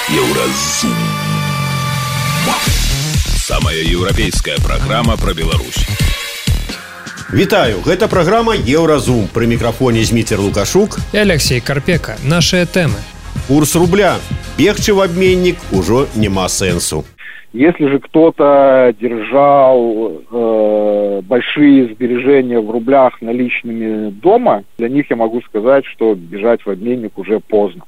Еўразум. Самая еўрапейская праграма пра Беларусь. Вітаю, гэта праграма Еўразум. Пры мікрафоне Зміцер Лукашук и Алексей Карпека. Наши темы. Курс рубля. Бегчы в обменник уже нема сенсу. Если же кто-то держал большие сбережения в рублях наличными дома, для них я могу сказать, что бежать в обменник уже поздно.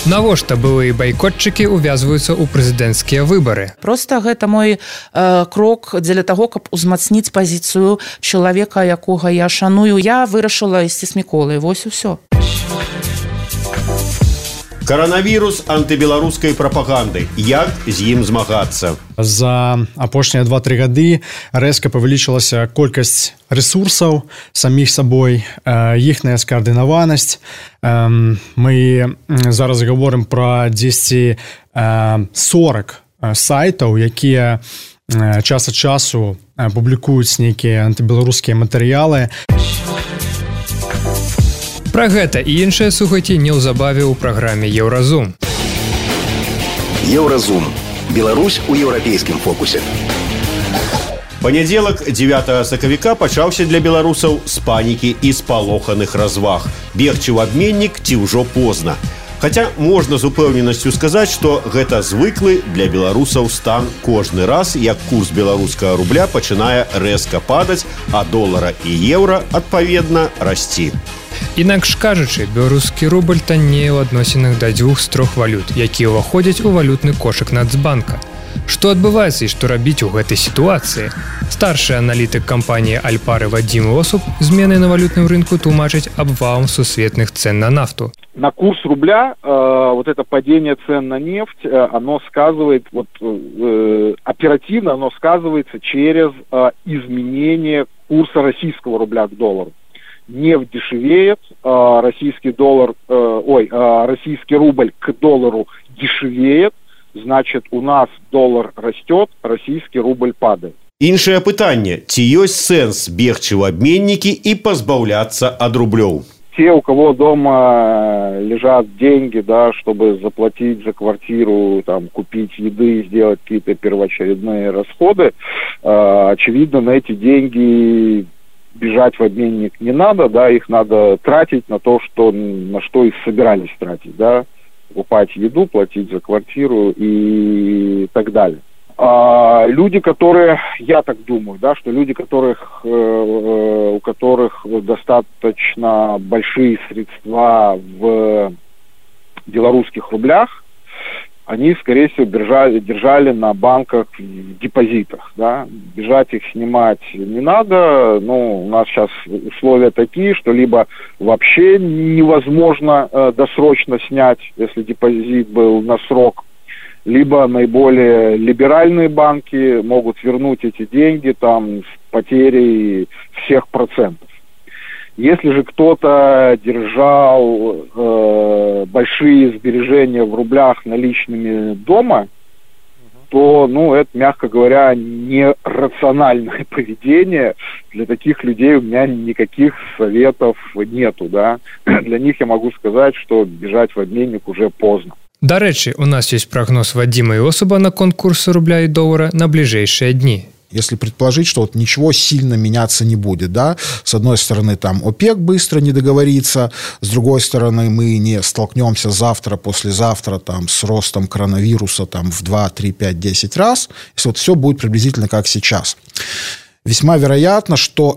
Навошта былыя байкотчыкі увязваюцца ў прэзідэнцкія выбары? Просто гэта мой крок дзеля таго, каб узмацніць пазіцыю чалавека, якога я шаную. Я вырашыла ісці з Міколай. Вось і ўсё. Коронавірус антыбеларускай прапаганды. Як з ім змагацца? За апошнія 2-3 гады рэзка павялічылася колькасць ресурсаў саміх сабой, іхная скаардынаванасць. Мы зараз гаворым пра 10-40 сайтаў, якія час ад часу публікуюць нейкія антыбеларускія матэрыялы. Пра гэта і іншыя слухайце неўзабаве ў праграме Еўразум. Еўразум. Беларусь у еўрапейскім фокусе. Панядзелак 9 сакавіка пачаўся для беларусаў з панікі і спалоханых разваг. Бегчы ў абменнік ці ўжо позна. Хаця можна з упэўненасцю сказаць, што гэта звыклы для беларусаў стан кожны раз, як курс беларускага рубля пачынае рэзка падаць, а долара і еўра, адпаведна, расці. Інакш кажучы, беларускі рубль таннее ў адносінах да 2 з 3 валют, якія ўваходзяць у валютны кошык Нацбанка. Што адбываецца і што рабіць у гэтай сітуацыі? Старшы аналітык кампаніі Альпары Вадзім Осуп змены на валютным рынку тлумачыць абвалом сусветных цен на нафту. На курс рубля вот это падение цен на нефть, оно сказывает, оперативно оно сказывается через изменение курса российского рубля к доллару. Нефть дешевеет, российский рубль к доллару дешевеет, значит, у нас доллар растет, российский рубль падает. Іншае пытанне, ці ёсць сэнс бегчы ў абменнікі і пазбаўляцца ад рублёў? Те, у кого дома лежат деньги, да, чтобы заплатить за квартиру, там, купить еды, сделать какие-то первоочередные расходы, очевидно, на эти деньги бежать в обменник не надо, да, их надо тратить на то, на что их собирались тратить, да, покупать еду, платить за квартиру и так далее. А люди, которые, я так думаю, да, что люди, у которых достаточно большие средства в белорусских рублях, они, скорее всего, держали на банках в депозитах, да. Бежать их снимать не надо. У нас сейчас условия такие, что либо вообще невозможно досрочно снять, если депозит был на срок, либо наиболее либеральные банки могут вернуть эти деньги там с потерей всех процентов. Если же кто-то держал большие сбережения в рублях наличными дома, то, это, мягко говоря, нерациональное поведение. Для таких людей у меня никаких советов нету, да. Для них я могу сказать, что бежать в обменник уже поздно. Дарэчы, у нас есть прогноз Вадзіма Осупа на конкурсы рубля и доллара на ближайшие дни. Если предположить, что ничего сильно меняться не будет, да, с одной стороны, там ОПЕК быстро не договорится, с другой стороны, мы не столкнемся завтра, послезавтра, там, с ростом коронавируса, там, в 2, 3, 5, 10 раз, если все будет приблизительно как сейчас. Весьма вероятно, что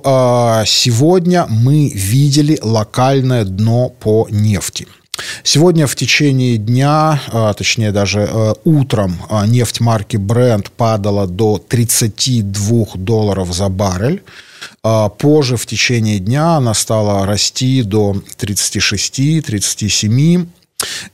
сегодня мы видели локальное дно по нефти. Сегодня в течение дня, точнее даже утром, нефть марки Brent падала до $32 за баррель. Позже в течение дня она стала расти до 36-37.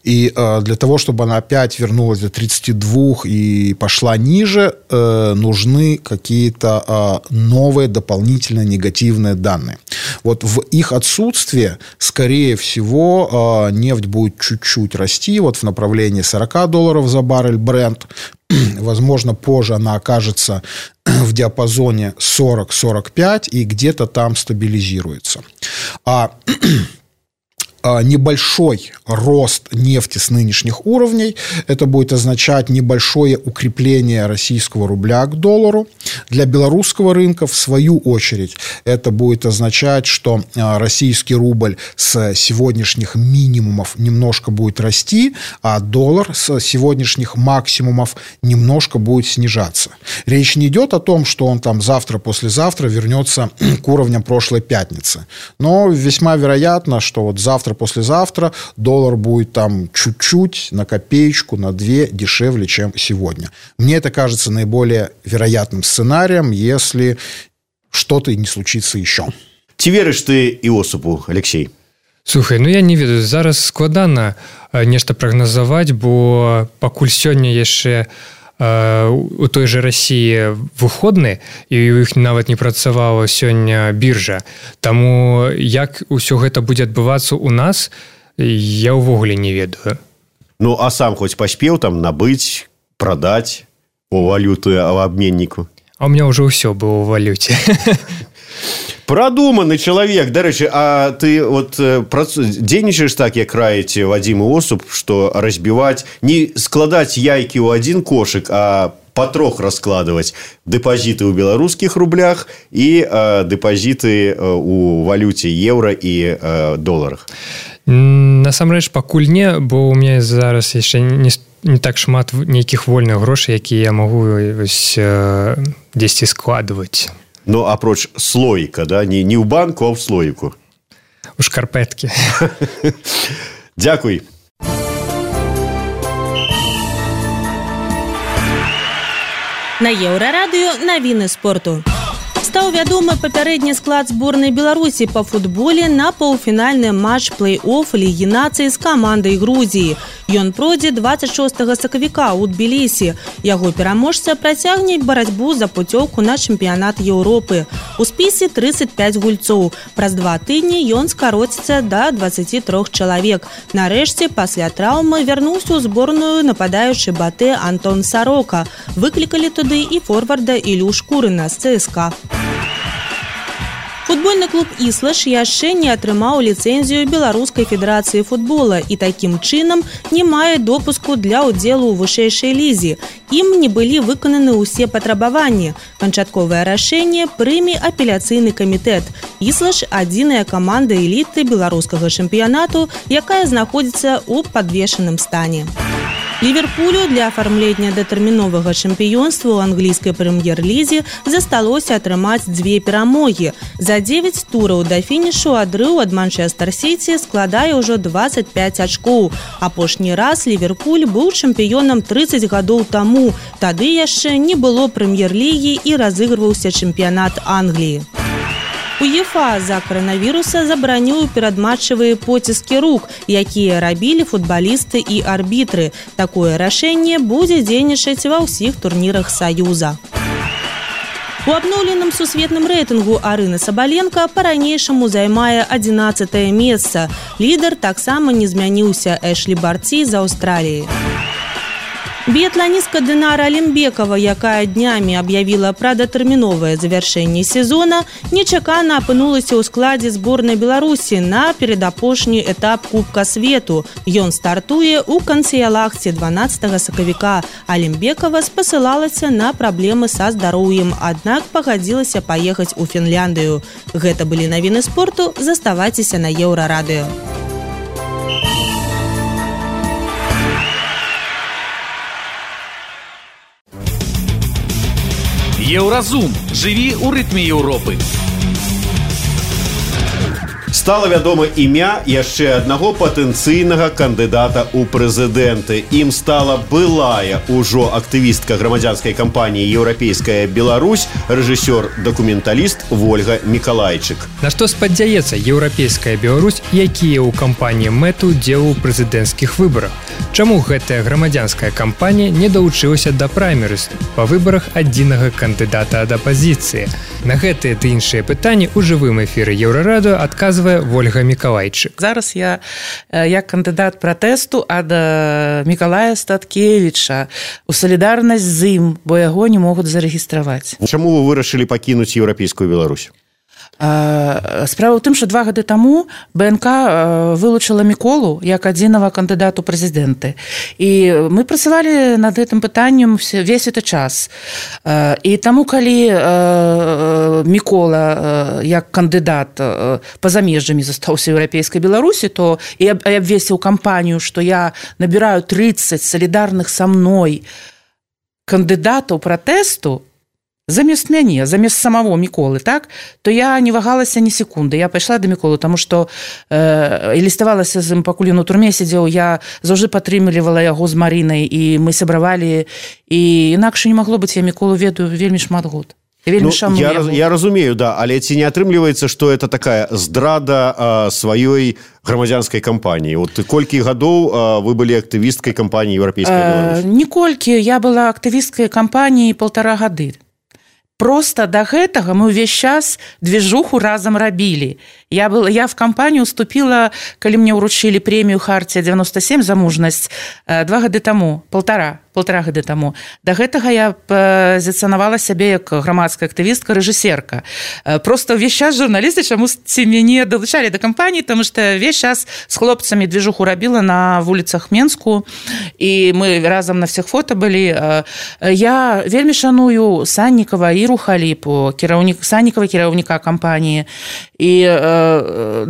И для того, чтобы она опять вернулась до 32 и пошла ниже, нужны какие-то новые дополнительные негативные данные. Вот в их отсутствие, скорее всего, нефть будет чуть-чуть расти, вот в направлении $40 за баррель Brent. Возможно, позже она окажется в диапазоне 40-45 и где-то там стабилизируется. небольшой рост нефти с нынешних уровней. Это будет означать небольшое укрепление российского рубля к доллару. Для белорусского рынка, в свою очередь, это будет означать, что российский рубль с сегодняшних минимумов немножко будет расти, а доллар с сегодняшних максимумов немножко будет снижаться. Речь не идет о том, что он там завтра-послезавтра вернется к уровням прошлой пятницы. Но весьма вероятно, что вот завтра-послезавтра доллар будет там чуть-чуть, на копеечку, на 2 дешевле, чем сегодня. Мне это кажется наиболее вероятным сценарием, если что-то не случится еще. Ці верыш ты Іосипу, Алексей? Слухай, я не ведаю, зараз складана нешта прагназаваць, бо пакуль сёння яшчэ у той же России выходны, і у іх нават не працавала сёння біржа. Таму як усё гэта будзе адбывацца у нас, я ўвогуле не ведаю. Ну, а сам хоць паспеў там набыць, прадаць у валюту абменніку? А у меня уже ўсё было ў валюце. Продуманный человек, дарэчы, а ты вот дзейнічаеш так, як раіць Вадзім Іосуп, што разбіваць, не складаць яйкі ў один кошык, а патрох раскладывать депозиты ў беларускіх рублях і депозиты у валюце еўра і доларах. Насамрэч пакуль не, бо у меня зараз яшчэ не так шмат нейкіх вольных грошай, якія я магу дзесьці складываць. Ну, апроч слоіка, да? Не ў банку, а ў слоіку. У шкарпэткі. Дзякуй. На Еўрарадыё навіны спорту. Стаў вядомы папярэдні склад зборнай Беларусі па футболе на паўфінальны матч плэй-офф Лігі нацый з камандай Грузіі. Ён пройдзе 26 сакавіка ў Тбілісі. Яго пераможца працягне барацьбу за пуцёўку на чэмпіянат Еўропы. У спісе 35 гульцоў. Праз 2 тыдні ён скароціцца да 23 чалавек. Нарэшце, пасля траўмы вярнуўся ў зборную нападаючы Батэ Антон Сарока. Выклікалі туды і форварда Ілю Шкурына з ЦСКА. Футбольны клуб «Іслаш» яшчэ не атрымаў ліцэнзію Беларускай федэрацыі футбола і такім чынам не мае допуску для ўдзелу ў вышэйшай лізе. Ім не былі выкананы ўсе патрабаванні. Канчатковае рашэнне прыме апеляцыйны камітэт. «Іслаш» – адзіная каманда эліты беларускага чэмпіянату, якая знаходзіцца ў падвешаным стане. Ливерпулю для афармлення датэрміновага чэмпіёнства ў англійскай прэм'ер-лізе засталося атрымаць 2 перамогі. За 9 тураў да фінішу адрыў ад Манчестер-Сіці складае ўжо 25 ачкоў. Апошні раз Ливерпуль быў чэмпіёнам 30 гадоў таму. Тады яшчэ не было прэм'ер-лігі і разыгрываўся чэмпіянат Англіі. УЕФА з-за каранавіруса забараніў перадматчавыя поціскі рук, якія рабілі футбалісты і арбітры. Такое рашэнне будзе дзейнічаць ва ўсіх турнірах Саюза. У абноўленым сусветным рэйтынгу Арына Сабаленка па-ранейшаму займае 11-е месца. Лідар таксама не змяніўся – Эшлі Барці з Аўстраліі. Біятланістка Дынара Алімбекова, якая днямі аб'явіла пра датэрміновае завяршэнне сезона, нечакана апынулася ў складзе зборнай Беларусі на перадапошні этап Кубка свету. Ён стартуе ў Канцыялахце 12 сакавіка. Алімбекова спасылалася на праблемы са здароўем, аднак пагадзілася паехаць у Фінляндыю. Гэта былі навіны спорту, заставайцеся на Еўрарадыё. Еўразум. Жыві ў рытме Еўропы. Стала вядома імя яшчэ аднаго патэнцыйнага кандыдата ў прэзідэнты. Ім стала былая ўжо актывістка грамадзянскай кампаніі «Еўрапейская Беларусь», рэжысёр-дакументаліст Вольга Мікалайчык. На што спадзяецца «Еўрапейская Беларусь», якія ў кампаніі мэту ўдзелу ў прэзідэнцкіх выбарах? Чаму гэтая грамадзянская кампанія не далучылася да праймерыз па выбарах адзінага кандыдата ад апазіцыі? На гэтыя ды іншыя пытанні ў жывым эфіры Еўрарадыё адказвае Вольга Мікалайчык. Зараз я як кандыдат пратэсту ад Мікалая Статкевіча у салідарнасць з ім, бо яго не могуць зарэгістраваць. Чаму вы вырашылі пакінуць Еўрапейскую Беларусь? Справа ў тым, што 2 гады таму БНК вылучыла Міколу як адзінага кандыдату прэзідэнты. І мы працавалі над гэтым пытаннем весь гэты час. І таму, калі Мікола як кандыдат па-за межамі застаўся ў еўрапейскай Беларусі, то і абвесіў кампанію, што я набіраю 30 салідарных са мной кандыдатаў пратэсту, замест мяне, замест самого Міколы, так, то я не вагалася ні секунды. Я пайшла да Міколы, таму што і ліставалася з ім, пакуль ён у турме сидзеў, я заўжды падтрымлівала яго з Марынай, і мы сябравалі, і інакш не магло быць, я Міколу ведаю вельмі шмат год. Я разумею, да, але ці не атрымліваецца, што это такая здрада сваёй грамадзянскай кампаніі? Вот колькі гадоў вы былі актывісткай кампаніі Еўрапейскай Беларусі? Ніколькі, я была актывісткай кампаніі 1,5 гады. Просто до гэтага мы ўвесь час движуху разам рабілі. Я в кампанію уступила, калі мне ўручылі прэмію Хартія 97 за мужнасць 2 гады таму, 1,5 гады таму. До гэтага я пазіцыянавала сябе як грамадская актывістка, рэжысерка. Просто ўвесь час журналісты чамусьці мяне далучалі да кампаніі, таму што ўвесь час з хлопцамі движуху рабіла на вуліцах Менску, і мы разам на всех фото былі. Я вельмі шаную Саннікава і Рухаліпу, Саннікава, кіраўніка кампаніі, і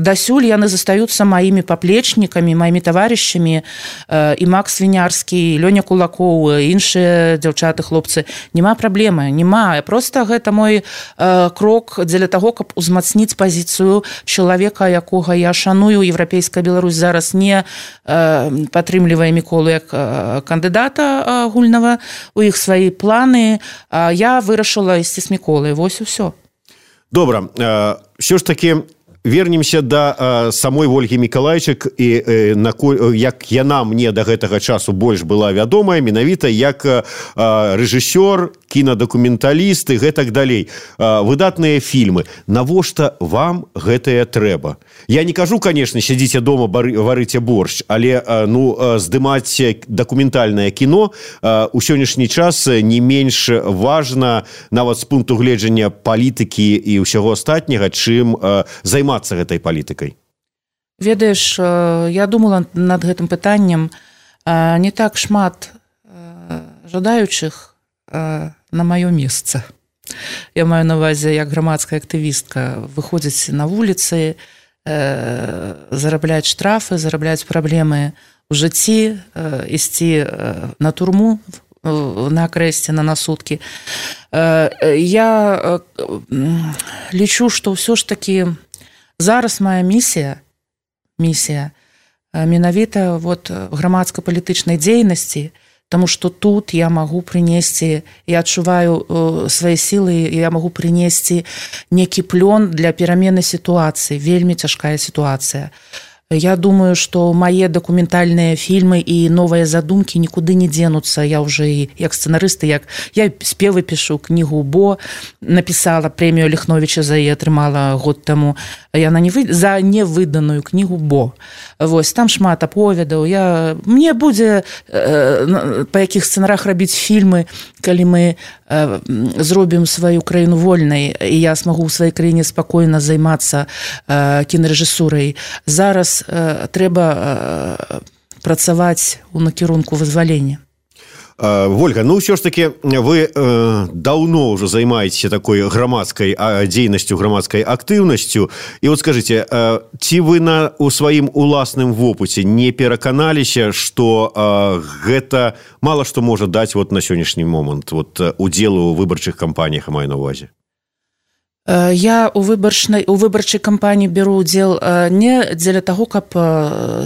дасюль яны застаюцца маімі паплечнікамі, маімі таварышамі, і Макс Вінярскі, Лёня Кулакоў, іншыя дзяўчаты, хлопцы. Няма праблемы, няма. Просто гэта мой крок дзеля таго, каб узмацніць пазіцыю чалавека, якога я шаную. Еўрапейская Беларусь зараз не падтрымлівае Міколу як кандыдата агульнага, у іх свае планы. Я вырашыла ісці з Міколай. Вось і ўсё. Добра. Все ж таки вернемся да самой Ольгі Мікалайчык, і як яна мне да гэтага часу больш была вядомая менавіта як рэжысёр, кінадакументаліст і гэтак далей. Выдатныя фільмы. Навошта вам гэтае трэба? Я не кажу, конечно, сядзіце дома, варыце борщ, але здымаць дакументальнае кіно у сённяшні час не менш важна нават з пункту гледжання палітыкі і ўсяго астатняга, чым займацца гэтай палітыкай. Ведаеш, я думала над гэтым пытаннем. Не так шмат жадаючых на маё месца. Я маю на увазе, як грамадская актывістка выходзіць на вуліцы, зарабляць штрафы, зарабляць праблемы ў жыцці, ісці на турму, на акрэсце, на суткі. Я лічу, што ўсё ж такі зараз моя місія менавіта грамадска-палітычнай дзейнасці, тому што тут я магу прынесці, я адчуваю свае сілы, я магу прынесці некі плён для перамены сітуацыі. Вельмі цяжкая сітуацыя. Я думаю, што мае дакументальныя фільмы і новыя задумкі нікуды не дзенуцца. Я ўжо і як сцэнарысты, як я спевы пішу, кнігу «Бо» напісала, прэмію Ліхновіча за яе атрымала год таму. Яна за невыданую кнігу «Бо». Вось, там шмат аповедаў. Мне будзе па якіх сцэнарах рабіць фільмы, калі мы зробім сваю краіну вольнай, і я смагу ў сваёй краіне спакойна займацца кінарэжысурай. Зараз трэба працаваць у накірунку вызвалення. Вольга, ўсё ж таки вы даўно ўжо займаецеся такой грамадскай дзейнасцю, грамадскай актыўнасцю. І вот скажыце, ці вы у сваім уласным вопыце не пераканаліся, што гэта мала што можа даць на сённяшні момант удзелу ў выбарчых кампаніях, маю на ўвазе? Я у выбарчай кампаніі беру ўдзел не дзеля таго, каб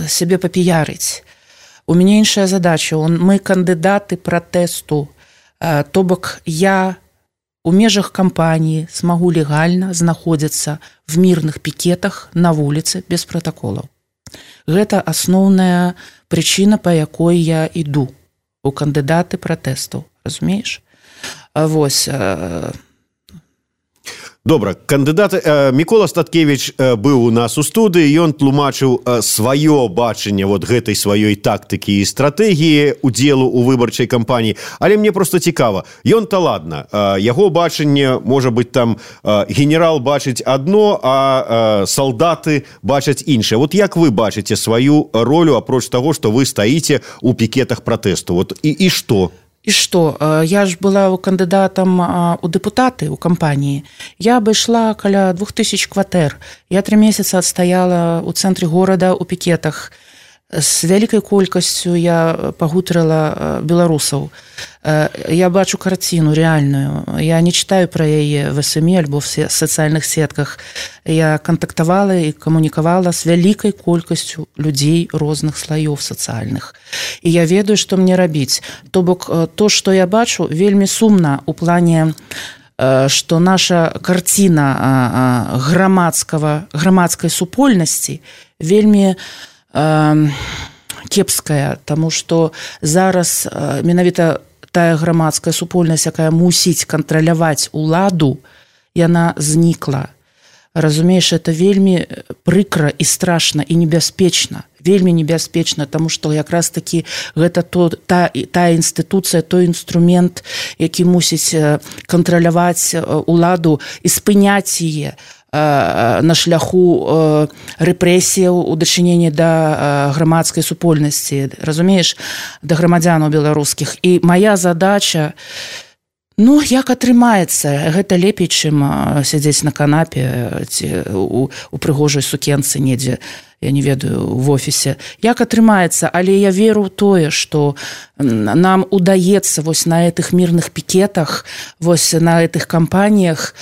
сябе папіярыць. У мяне іншая задача. Мы кандыдаты пратэсту. То бок я у межах кампаніі смагу легальна знаходзіцца в мірных пікетах на вуліцы без пратаколаў. Гэта асноўная прычына, па якой я іду у кандыдаты пратэсту. Разумееш? Вось. Добра, кандыдат Мікола Статкевич быў у нас у студыі, ён тлумачыў сваё бачанне вот гэтай сваёй тактыкі і стратэгіі удзелу ў выбарчай кампаніі, але мне просто цікава, ён-то ладно, яго бачанне, можа быць, там генерал бачыць адно, а салдаты бачаць іншае. Вот як вы бачыце сваю ролю, апроч таго, што вы стаіце ў пікетах пратэсту? Вот і што? И что? Я ж была кандидатом у депутаты у кампании. Я обошла каля 2000 кватэр. Я 3 месяца отстояла у центре города у пикетах. С вялікай колькасцю я пагутарыла беларусаў. Я бачу карціну рэальную. Я не читаю пра яе в СМИ альбо в сацыяльных сетках. Я кантактавала і камунікавала з вялікай колькасцю людзей розных слаёў сацыяльных. І я ведаю, што мне рабіць. То бок, то, што я бачу, вельмі сумна у плане, што наша карціна грамадскай супольнасці вельмі кепская, таму што зараз менавіта тая грамадская супольнасць, якая мусіць кантраляваць уладу, яна знікла. Разумееш, это вельмі прыкра і страшна і небяспечна. Вельмі небяспечна, таму што якраз такі гэта тая інстытуцыя, той інструмент, які мусіць кантраляваць уладу і спыняць яе на шляху рэпрэсіяў у дачыненні да грамадскай супольнасці, разумееш, да грамадзянаў беларускіх. І моя задача, як атрымаецца, гэта лепей, чым сядзець на канапе ці у прыгожай сукенцы недзе, я не ведаю, в офісе. Як атрымаецца, але я веру ў тое, што нам удаецца вось на этих мірных пікетах, вось на этих кампаніях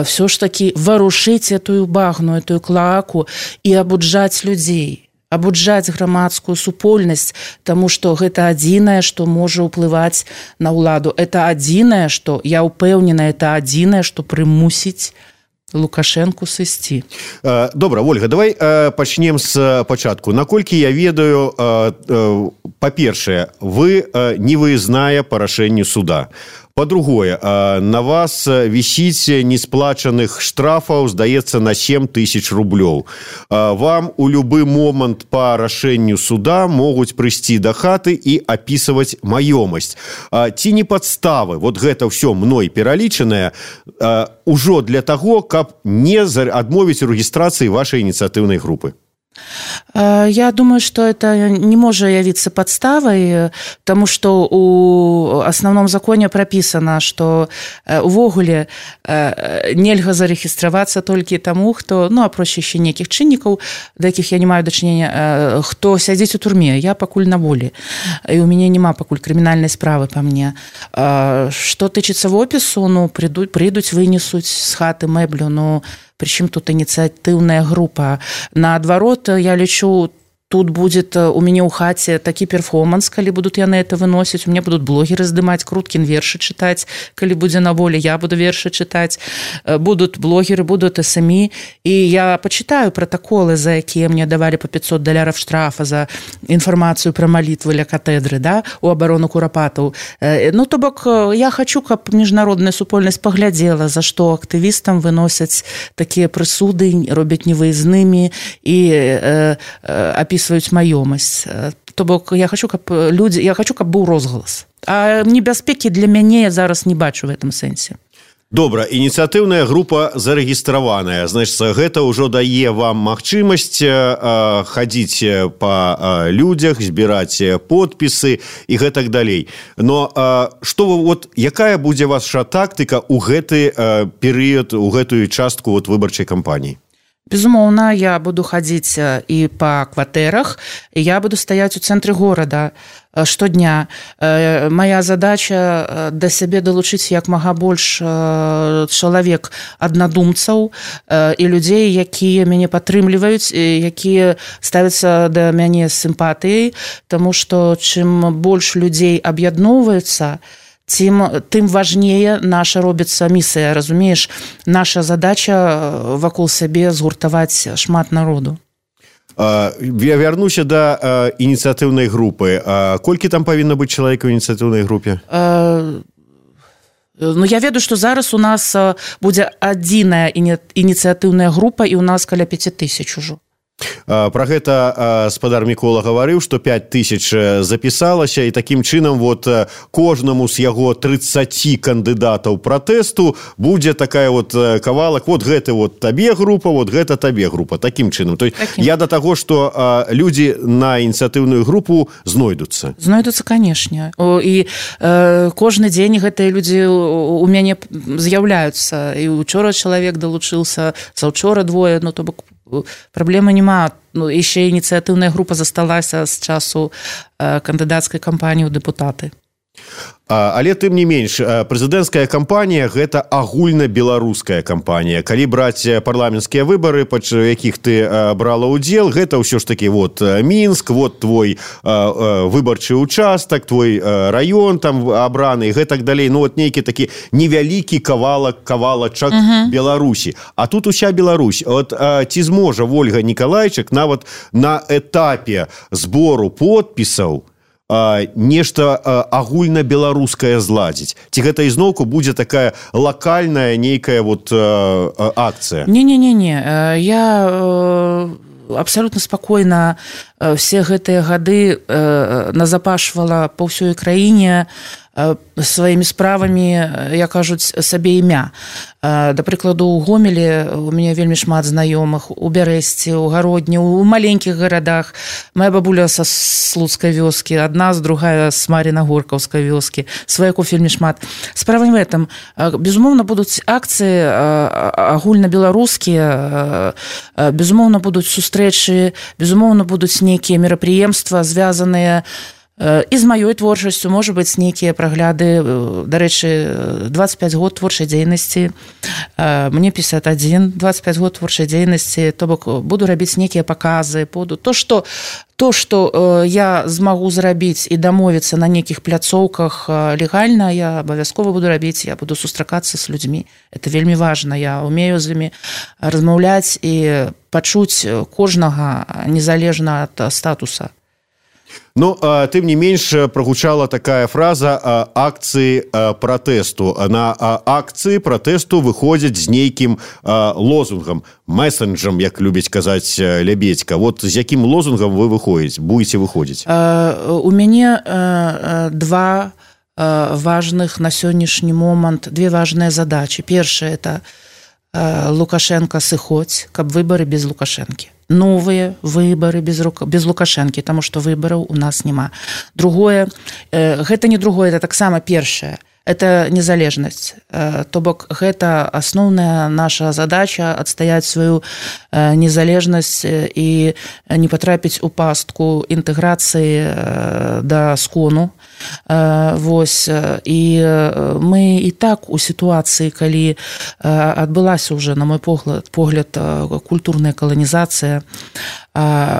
все ж таки варушыць этую багну, этую клоаку і абуджаць людзей, абуджаць грамадскую супольнасць, таму што гэта адзінае, што можа ўплываць на ўладу. Это адзінае, што, я ўпэўнена, это адзінае, што прымусіць Лукашенку сысці. Добра, Ольга, давай пачнем з пачатку. Наколькі я ведаю, па-першае, вы не выязная па рашэнню суда. По-другое, на вас висіць несплачаных штрафаў, здаецца, на 7 000 рублёў. Вам у любы момант па рашэнню суда могуць прыйсці да хаты і апісваць маёмасць. Ці не падставы, вот гэта ўсё мной пералічанае, ужо для таго, каб не адмовіць у рэгістрацыі вашай ініцыятыўнай групы? Я думаю, что это не может явиться подставой, потому что у основном законе прописано, что увогуле нельга зарегістравацца толькі таму, хто, апроч яшчэ нейкіх чыннікаў, да якіх я не маю дачынення, хто сядзіць у турме. Я пакуль на волі, і у мяне няма пакуль крымінальнай справы па мне. Што тычыцца вопісу, прыйдуць, вынесуць з хаты мэблю, причем тут инициативная группа. Наоборот, я лечу, тут будет у меня у хате такі перформанс, калі будут яны это выносить. У меня будут блогеры здымаць, Круткин вершы читать, калі будзе на воле, я буду вершы читать. Будут блогеры, будут СМИ. И я почитаю протоколы, за якія мне давали по $500 штрафа за информацию про молитвы ля катедры, да, у оборону Курапатаў. То бок, я хочу, каб міжнародная супольнасць паглядзела, за што актывістам выносяць такія прысуды, робяць невыязнымі і описываюць маёмасць. То бок, я хочу, каб быў розгалас. А небяспекі для мяне я зараз не бачу в этом сэнсе. Добра, ініцыятыўная група зарэгістраваная. Значыць, гэта ўжо дае вам магчымасць хадзіць па людзях, збіраць подпісы і гэтак далей. Но якая будзе ваша тактыка ў гэты перыяд, у гэтую частку выбарчай кампаніі? Безумоўна, я буду хадзіць і па кватэрах, і я буду стаяць у цэнтры горада штодня. Моя задача да сябе далучыць як мага больш чалавек аднадумцаў і людзей, якія мяне падтрымліваюць, якія ставяцца да мяне з сімпатыяй, таму што чым больш людзей аб'ядноўваюцца, тым важнее наша робіцца місія, разумееш? Наша задача вакол сябе згуртаваць шмат народу. Я вярнуся да ініцыятыўнай групы. Колькі там павінна быць чалавек у ініцыятыўнай групе? Ну, я ведаю, што зараз у нас будзе адзіная ініцыятыўная група, і у нас каля 5000 ужо. Про гэта спадар Мікола гаварыў, што 5000 запісалася, і такім чынам вот кожнаму з яго 30 кандыдатаў пратэсту будзе такая вот кавалак, вот гэта вот табе група, вот гэта табе група, такім чынам. То есть я да таго, што людзі на ініцыятыўную групу знойдуцца. Знойдуцца, канешне. І кожны дзень гэтыя людзі у мяне з'яўляюцца. І учора чалавек далучыўся, заўчора двое, ну то бок праблемы няма. Ну, яшчэ ініцыятыўная група засталася з часу кандыдацкай кампаніі ў дэпутаты. Але тым не менш, прэзідэнцкая кампанія – гэта агульнабеларуская кампанія. Калі браць парламенцкія выбары, па якіх ты брала ўдзел, гэта ўсё ж такі вот Мінск, вот твой выбарчы участак, твой раён там абраны і гэтак далей. Ну, вот нейкі такі невялікі кавалачак Беларусі. А тут уся Беларусь. От ці зможа Ольга Нікалайчык нават на этапе збору подпісаў нешта агульнабеларускае зладзіць? Ці гэта ізноўку будзе такая лакальная нейкая вот акцыя? Не. Я абсолютно спакойна все гэтыя гады назапашвала па ўсёй краіне сваімі справамі, як кажуць, сабе імя. Да прыкладу, у Гомелі у мяне вельмі шмат знаёмых, у Бярэсці, у Гародні, у маленькіх гарадах. Моя бабуля са Слуцкай вёскі, адна з другая з Мар'їна-Горкаўскай вёскі. Сваякоў вельмі шмат. Справа не в этом. Безумоўна, будуць акцыі агульнабеларускія, безумоўна, будуць сустрэчы, безумоўна, будуць нейкія мерапрыемствы, звязаныя і з маёй творчасцю, можа быць, нейкія прагляды. Дарэчы, 25 год творчай дзейнасці, мне 51, 25 год творчай дзейнасці, то бок буду рабіць нейкія паказы, то, што я змагу зрабіць і дамовіцца на нейкіх пляцоўках легальна, я абавязкова буду рабіць, я буду сустракацца з людзьмі. Это вельмі важна, я умею з імі размаўляць і пачуць кожнага незалежна ад статуса. Ну, тым не менш, прагучала такая фраза акцыі пратэсту. На акцыі пратэсту выходзяць з нейкім лозунгам, месенджам, як любіць казаць Лябедзька. Вот з якім лозунгам вы будете выходзіць? У мяне два важных на сённяшні момант, две важныя задачы. Першая – это Лукашенко сыходзь, каб выбары без Лукашэнкі. Новыя выбары без Лукашэнкі, таму што выбараў у нас няма. Другое, гэта не другое, это таксама першае. Это незалежнасць. То бок, гэта асноўная наша задача адстаяць сваю незалежнасць і не патрапіць у пастку інтэграцыі да скону. Вось. І мы і так у сітуацыі, калі адбылася ўжо, на мой погляд, культурная каланізацыя,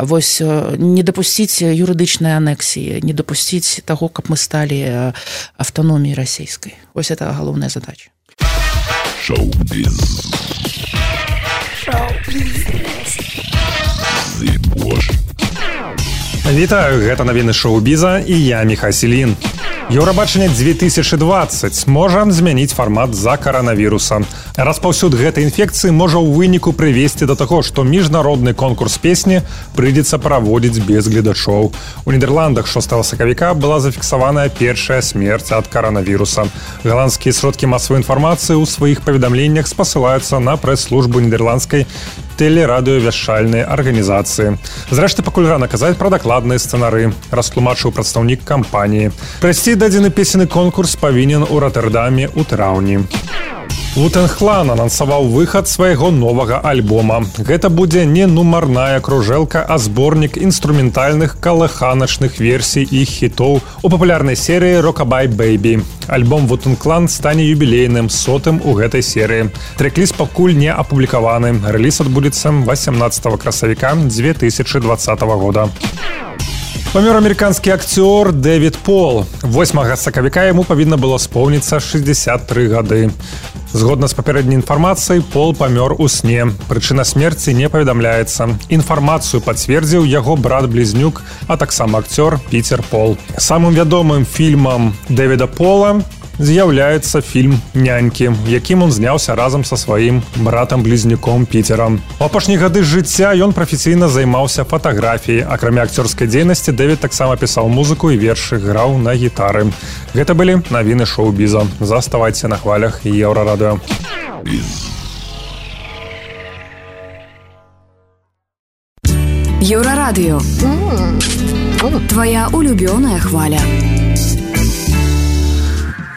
вось, не дапусціць юрыдычнай анексіі, не дапусціць таго, каб мы сталі аўтаноміяй расійскай. Вось это галоўная задача. Шоу-біз. Вітаю, гэта навіны шоу-біза і я, Міхась Ільін. Еўрабачанне 2020 можа змяніць фармат з-за каранавіруса. Распаўсюд гэтай інфекцыі можа ў выніку прывесці да таго, што міжнародны конкурс песні прыйдзецца праводзіць без гледачоў. У Нідерландах 6 сакавіка была зафіксаваная першая смерць ад каранавіруса. Галандскія сродкі масавой інфармацыі ў сваіх паведамленнях спасылаюцца на прэс-службу нідерландскай тэлерадыёвяшчальнай арганізацыі. Зрэшты, пакуль рана казаць пра дакладныя сцэнары, растлумачыў прадстаўнік кампаніі. Прайсці дадзены песенны конкурс павінен у Ротэрдаме ў траўні. Wu-Tang Clan анансаваў выхад свайго новага альбома. Гэта будзе не нумарная кружэлка, а зборнік інструментальных калыханачных версій іх хітоў у папулярнай серыі Rockabye Baby. Альбом Wu-Tang Clan стане юбілейным, 100-м у гэтай серыі. Трэк-ліст пакуль не апублікаваны. Рэліз адбудзецца 18 красавіка 2020 года. Памёр амерыканскі акцёр Дэвід Пол. 8 сакавіка яму павінна было споўніцца 63 гады. Згодна з папярэдняй інфармацыяй, Пол памёр у сне. Прычына смерці не паведамляецца. Інфармацыю пацвердзіў яго брат-блізнюк, а таксама акцёр Піцер Пол. Самым вядомым фільмам Дэвіда Пола з'яўляецца фільм «Нянькі», якім он зняўся разам са сваім братам-блізнюком Піцерам. У апошнія гады жыцця ён прафесійна займаўся фатаграфіяй. Акрамя акцёрскай дзейнасці, Дэвід таксама пісаў музыку і вершы, граў на гітары. Гэта былі навіны шоу-біза. Заставайце на хвалях Еўрарадыё. Еўрарадыё. Твоя улюбёная хваля.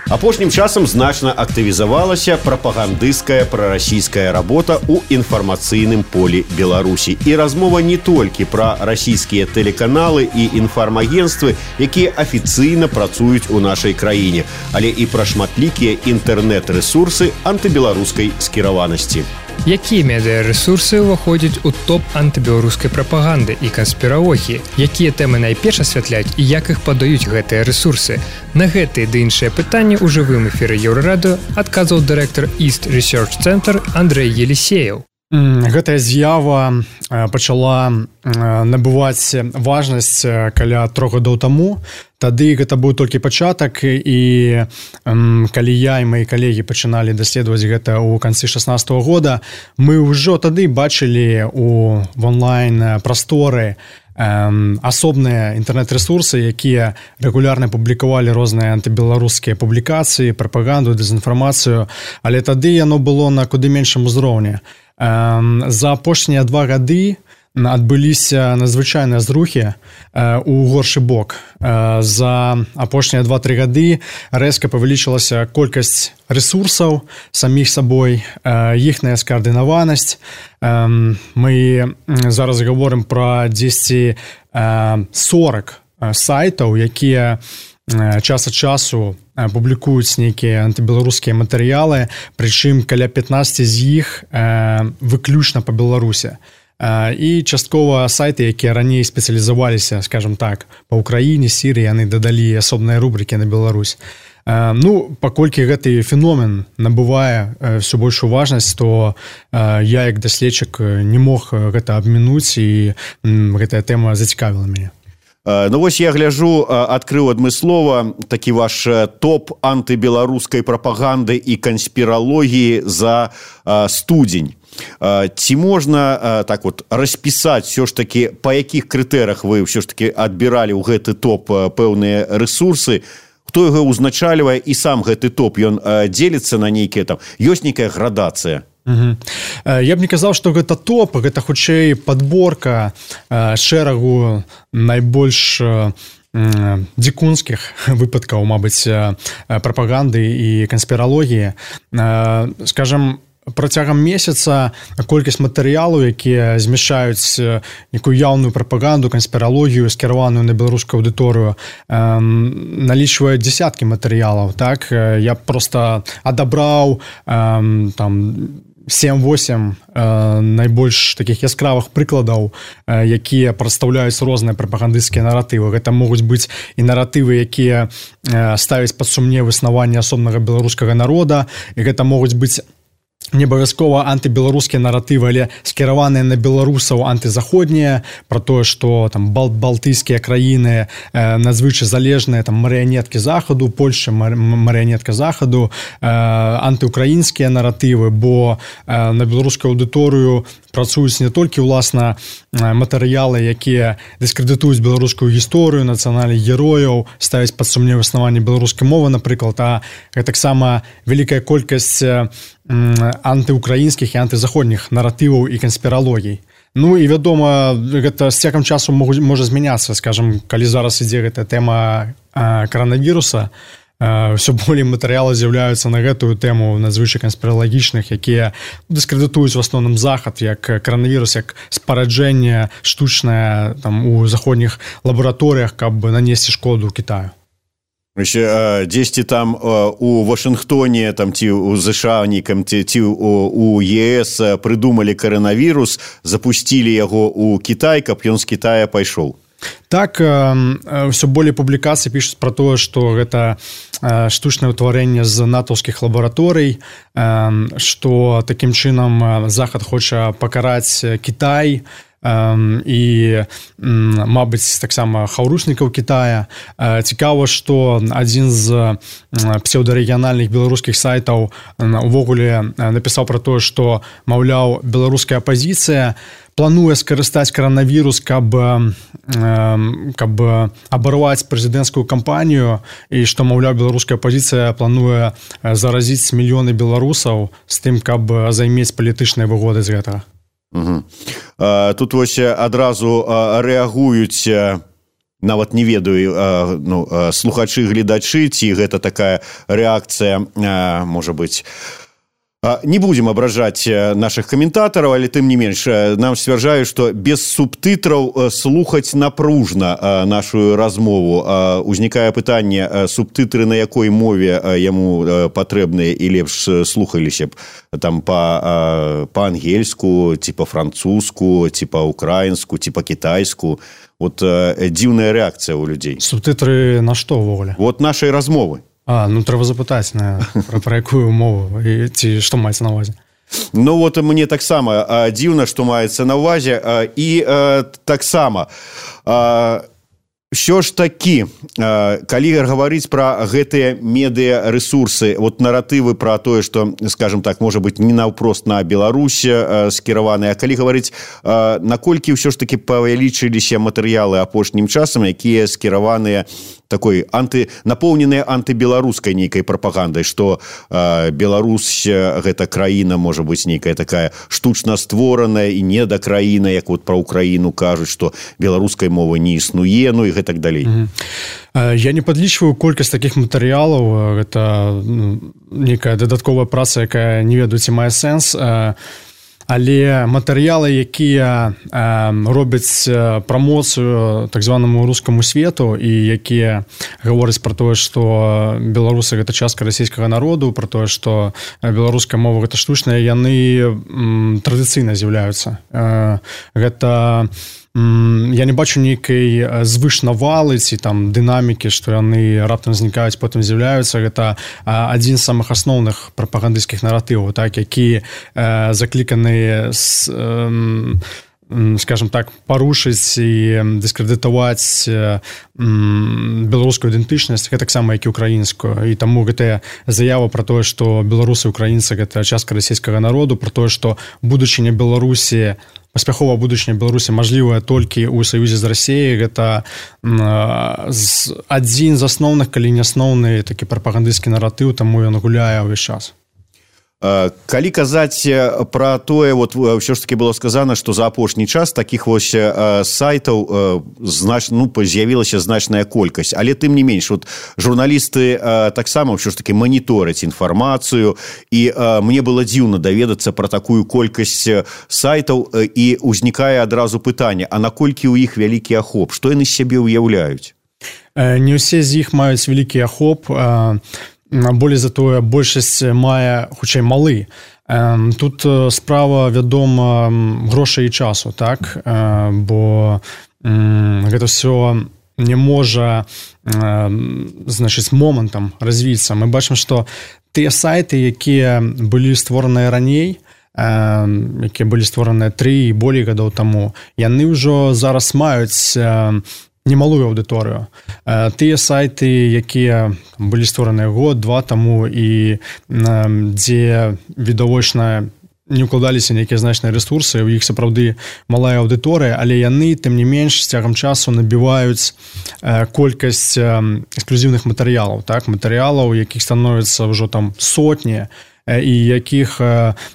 Апошнім часам значна актывізавалася прапагандысцкая прарасійская работа ў інфармацыйным полі Беларусі. І размова не толькі пра расійскія тэлеканалы і інфармагенствы, якія афіцыйна працуюць у нашай краіне, але і пра шматлікія інтэрнэт-рэсурсы антыбеларускай скіраванасці. Якія медыарэсурсы ўваходзяць у топ антыбеларускай прапаганды і канспіралогіі? Якія тэмы найперш асвятляць і як іх падаюць гэтыя рэсурсы? На гэтыя ды іншыя пытанні ў жывым эфіры Еўрарадыё адказваў дырэктар East Research Center Андрэй Елисеев. Гэтая з'ява пачала набываць важнасць каля 3 гадоў таму. Тады гэта быў толькі пачатак, і калі я і мои калегі пачыналі даследаваць гэта ў канцы 16-го года, мы ўжо тады бачылі в онлайн-прасторы асобныя інтэрнэт-рэсурсы, якія рэгулярна публікавалі розныя антыбеларускія публікацыі, прапаганду, дэзінфармацыю, але тады яно было на куды меншым узроўні. За апошнія 2 гады адбыліся надзвычайныя зрухі у горшы бок. За апошнія 2-3 гады рэзка павялічылася колькасць рэсурсаў саміх сабой, іхная скаардынаванасць. Мы зараз гаворым пра 10-40 сайтаў, якія час ад часу публікуюць нейкія антыбеларускія матэрыялы, прычым каля 15 з іх выключна па Беларусі. І часткова сайты, якія раней спецыялізаваліся, скажем так, па Ўкраіне, Сірыі, яны дадалі асобныя рубрыкі на Беларусь. Паколькі гэты феномен набывае ўсё большую важнасць, то я як даследчык не мог гэта абмінуць, і гэтая тэма зацікавіла мяне. Вось я гляжу, адкрыў адмыслова такі ваш топ антыбеларускай прапаганды і канспіралогіі за студзень. Ці можна так вот распісаць все ж таки, па якіх крытэрах вы все ж таки адбіралі ў гэты топ пэўныя рэсурсы, хто яго ўзначальвае, і сам гэты топ, ён дзеліцца на нейкія там, ёсць нейкая градацыя? Я б не казаў, што гэта топ, гэта хутчэй падборка шэрагу найбольш дзікунскіх выпадкаў, мабыць, прапаганды і канспіралогіі. Скажам, працягам месяца колькасць матэрыялаў, якія змяшчаюць некую яўную прапаганду, канспіралогію, скіраваную на беларускую аўдыторыю, налічвае дзесяткі матэрыялаў. Так? Я проста адабраў там 7-8 найбольш такіх яскравых прыкладаў, якія прадстаўляюць розныя прапагандысцкія наратывы. Гэта могуць быць і наратывы, якія ставяць пад сумнеў існаванне асобнага беларускага народа, і гэта могуць быць не абавязкова антыбеларускія наратывы, але скіраваныя на беларусаў антызаходнія, пра тое, што там балтыйскія краіны надзвычай залежныя, там марыянеткі захаду, Польшча марыянетка захаду, антыукраінскія наратывы, бо на беларускую аўдыторыю працуюць не толькі ўласна матэрыялы, якія дыскрэдытуюць беларускую гісторыю, нацыянальных герояў, ставяць пад сумнеў існаванне беларускай мовы, напрыклад, а таксама вялікая колькасць антыукраінскіх і антызаходніх наратываў і канспіралогій. Ну і вядома, гэта з цягам часу можа змяняцца, скажам, калі зараз ідзе гэтая тэма каранавіруса, ўсё болей матэрыялы з'яўляюцца на гэтую тэму надзвычай канспіралагічных, якія дыскрэдытуюць в асноўным захад, як каранавірус, як спараджэнне штучнае там у заходніх лабараторыях, каб нанесці шкоду Кітаю. Дзесьці там у Вашынгтоне там, ці ў ЗША нейкам, ці у ЕС прыдумалі каранавірус, запусцілі яго ў Кітай, каб ён з Кітая пайшоў. Так, ўсё болей публікацый пішуць пра тое, што гэта штучнае ўтварэнне з натаўскіх лабараторый, што такім чынам Захад хоча пакараць Кітай і мабыць таксама хаўруснікаў Китая. Цікава, што адзін з псеўдарэгіянальных беларускіх сайтаў увогуле напісаў пра тое, што, маўляў, беларуская апазіцыя плануе скарыстаць каранавірус, каб абарваць прэзідэнцкую кампанію, і што, маўляў, беларуская апазіцыя плануе заразіць мільёны беларусаў з тым, каб займець палітычныя выгоды з гэтага. Тут вось адразу рэагуюць, нават не ведаю, слухачы, гледачы, ці гэта такая рэакцыя, можа быць. Не будем абражаць наших каментатараў, але тым не менш нам сцвярджаюць, што без субтытраў слухаць напружна нашу размову. Узнікае пытанне, субтытры на якой мове яму патрэбныя і лепш слухаліся б, там па-ангельску, ці па-французску, ці па-украінску, ці па-кітайску. Вот дзіўная рэакцыя ў людзей. Субтытры на што ўвогуле? Вот нашай размовы. Трэба запытаць пра якую мову, ці што маецца на ўвазе. Ну вот мне таксама дзіўна, што маецца на ўвазе, і таксама ўсё ж такі, калі гаварыць пра гэтыя медыярэсурсы, вот наратывы пра тое, што, скажем так, можа быць не наўпрост на Беларусь скіраваныя, а калі гаварыць, наколькі ўсё ж такі павялічыліся матэрыялы апошнім часам, якія скіраваныя такой напоўненыя антыбеларускай нейкай прапагандай, што Беларусь гэта краіна, можа быць, нейкая такая штучна створаная і недакраіна, як вот пра Украіну кажуць, што беларускай мовы не існуе, ну і гэтак далей. Я не падлічваю колькасць такіх матэрыялаў, гэта нейкая дадатковая праца, якая не ведаю, ці мае сэнс, але матэрыялы, якія робяць прамоцыю так званаму рускаму свету і якія гавораць пра тое, што беларусы гэта частка расійскага народу, пра тое, што беларуская мова гэта штучная, яны традыцыйна з'яўляюцца. Гэта я не бачу нейкай звышнавалы ці там дынамікі, што яны раптам знікаюць, потым з'яўляюцца. Гэта адзін з самых асноўных прапагандысцкіх наратываў, так, які закліканы, скажем так, парушыць і дыскрэдытаваць беларускую ідэнтычнасць, гэтаксама як і украінскую. І таму гэтая заява пра тое, што беларусы і украінцы гэта частка расійскага народу, пра тое, што будучыня Беларусі, паспяховая будучыня Беларусі мажлівая толькі ў саюзе з Расіяй, гэта адзін з асноўных, калі не асноўны такі прапагандысцкі наратыў, таму ён гуляе ўвесь час. Калі казаць пра тое, вот ўсё ж таки было сказана, што за апошні час такіх вось сайтаў з'явілася значная колькасць, але тым не менш, вот журналісты таксама ўсё ж таки манітораць інфармацыю, і мне было дзіўна даведацца пра такую колькасць сайтаў, і ўзнікае адразу пытанне, а наколькі ў іх вялікі ахоп, што яны з сябе ўяўляюць? Не ўсе з іх маюць вялікі ахоп, болей за тое, большасць мае, хутчэй, малы. Тут справа, вядома, грошай і часу, так? Бо гэта ўсё не можа, значыць, момантам развіцца. Мы бачым, што тыя сайты, якія былі створаныя раней, якія былі створаныя 3 і болей гадоў таму, яны ўжо зараз маюць немалую аўдыторыю. Тыя сайты, якія былі створаныя год-два таму і дзе відавочна не ўкладаліся нейкія значныя рэсурсы, у іх сапраўды малая аўдыторыя, але яны, тым не менш, з цягам часу набіваюць колькасць эксклюзіўных матэрыялаў, так? Матэрыялаў, якіх становіцца ўжо там сотні, і якіх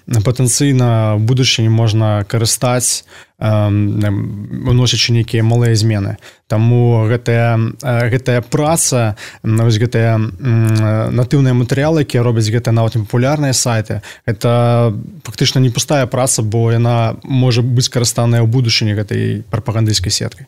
патэнцыйна ў будучыні можна карыстаць, уносячы нейкія малыя змены. Таму гэтая праца, гэтыя натыўныя матэрыялы, якія робяць гэтыя нават непапулярныя сайты, гэта фактычна не пустая праца, бо яна можа быць карыстаная ў будучыні гэтай прапагандысцкай сеткай.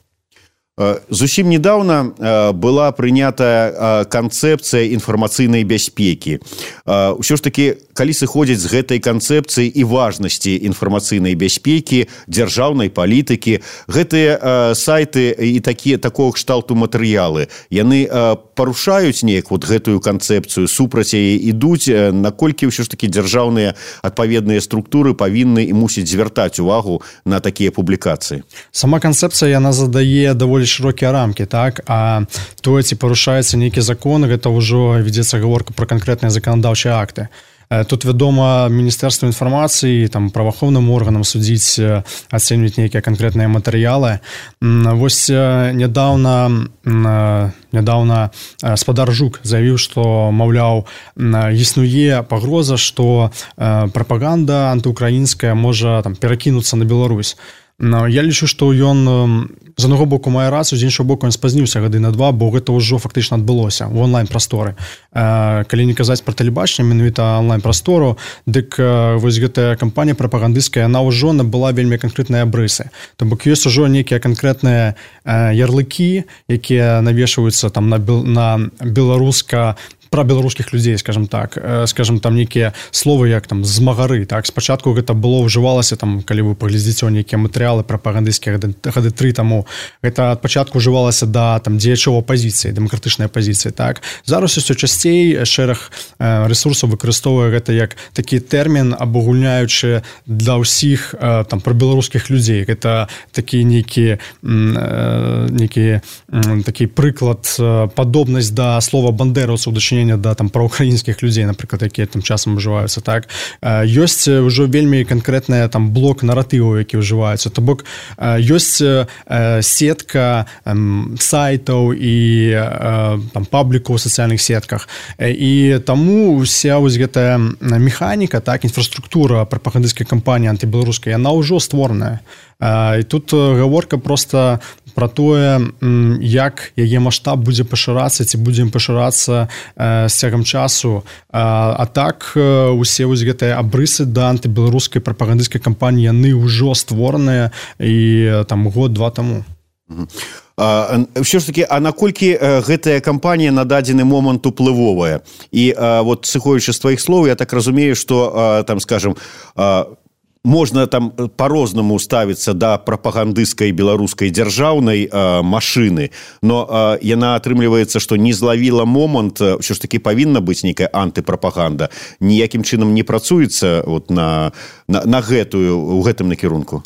Зусім недавно была прынята канцэпцыя інфармацыйнай бяспекі. Усё ж такі, калі сыходзіць з гэтай канцэпцыі і важнасці інфармацыйнай бяспекі, дзяржаўнай палітыкі, гэтыя сайты і такого кшталту матэрыялы, яны парушаюць неяк вот гэтую канцэпцыю, супраць яе ідуць, наколькі ўсё ж такі дзяржаўныя адпаведныя структуры павінны і мусіць звяртаць увагу на такія публікацыі. Сама канцэпцыя, яна задае даволі шырокія рамкі, так? А тое, ці парушаецца нейкі закон, гэта ўжо вядзецца гаворка пра канкрэтныя заканадаўчыя акты. Тут, вядома, Міністэрства інфармацыі, там, праваахоўным органам судзіць, ацэньваць нейкія канкрэтныя матэрыялы. Вось нядаўна спадар Жук заявіў, што, маўляў, існуе пагроза, што прапаганда антыукраінская можа там перакінуцца на Беларусь. Я лічу, што ён з аднаго боку мае рацыю, з іншого боку ён спазніўся гады на 2, бо гэта ўжо фактычна адбылося ў онлайн-прасторы. Калі не казаць пра тэлебачанне, менавіта онлайн-прастору, дык вось гэтая кампанія прапагандысцкая, яна ўжо набыла вельмі канкрэтныя абрысы. То бок ёсць ужо нейкія канкрэтныя ярлыкі, якія навешваюцца там на беларуска пра беларускіх людзей, скажем так, там нейкія словы як там змагары, так, спачатку гэта было ўжывалася там, калі вы паглядзіце нейкія матэрыялы прапагандысцкія гады 3 таму, гэта ад пачатку ўжывалася да там дзеячоў апазіцыі, дэмакратычнай апазіцыі, так. Зараз усё часцей шэраг рэсурсаў выкарыстоўвае гэта як такі тэрмін, абагульняючы для ўсіх там пра беларускіх людзей. Гэта такі нейкі такі прыклад, падобнасць да слова бандераўцаў, дачынення да там праўкраінскіх людзей, напрыклад, якія тым часам ўжываюцца, так. Ёсць ўжо вельмі канкрэтная там блок наратываў, які ўжываюцца. То бок ёсць сетка сайтаў і там паблікаў у сацыяльных сетках. І таму ўся вось гэтая механіка, так, інфраструктура прапагандысцкай кампаніі антыбеларускай, яна ўжо створаная. І тут гаворка проста пра тое, як яе маштаб будзе пашырацца, ці будзем пашырацца з цягам часу. А так усе вось гэтыя абрысы да антыбеларускай прапагандысцкай кампаніі, яны ўжо створаныя і там год-два таму. Ўсё ж такі, а наколькі гэтая кампанія на дадзены момант уплывовая? І вот сыходзячы з тваіх слоў, я так разумею, што там, скажем, можна там по-рознаму ставіцца да прапагандысцкай беларускай дзяржаўнай машыны, но яна атрымліваецца, што не злавіла момант, ўсё ж такі павінна быць нейкая антыпрапаганда, ніякім чынам не працуецца вот на гэтую, у гэтым накірунку.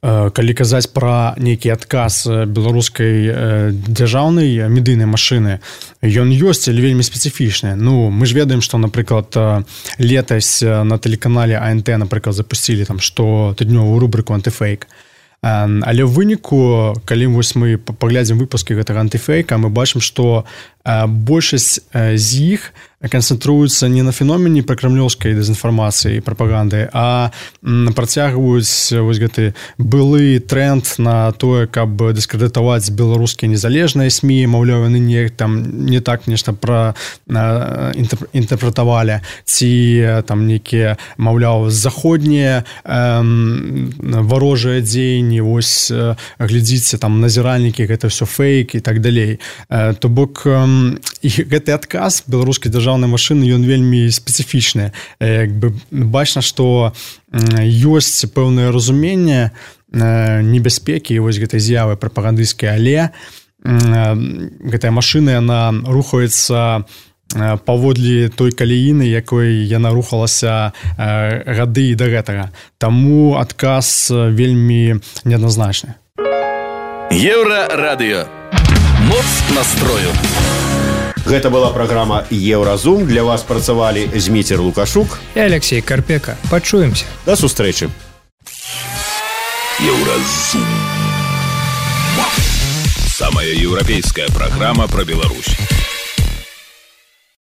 Калі казаць пра нейкі адказ беларускай дзяржаўнай медыйнай машыны, ён ёсць, але вельмі спецыфічны. Ну, мы ж ведаем, што, напрыклад, летась на тэлеканале АНТ, напрыклад, запусцілі там штотыднёвую рубрыку «Антыфейк». Але ў выніку, калі вось мы паглядзім выпускі гэтага антыфейка, мы бачым, што большасць з іх канцэнтруюцца не на феномене пракрамлёўскай дэзінфармацыі і прапаганды, а працягваюць вось гэты былы тренд на тое, каб дыскрэдытаваць беларускія незалежныя СМІ, маўляў, яны не так нешта інтэрпрэтавалі, ці там нейкія, маўляў, заходнія варожыя дзеянні, вось глядзіце, там назіральнікі, гэта ўсё фейк і так далей. То бок і гэты адказ беларускай дзяржаўнай машыны, ён вельмі спецыфічны. Як бы бачна, што ёсць пэўнае разуменне небяспекі вось гэтай з'явы прапагандысцкай, але гэтая машына, яна рухаецца паводле той каляіны, якой яна рухалася гады да гэтага. Таму адказ вельмі неадназначны. Еўрарадыё. Моц настрою. Гэта была праграма «Еўразум». Для вас працавалі Зміцер Лукашук і Алексей Карпека. Пачуемся. До сустрэчы. Еўразум. Самая еўрапейская программа про Беларусь.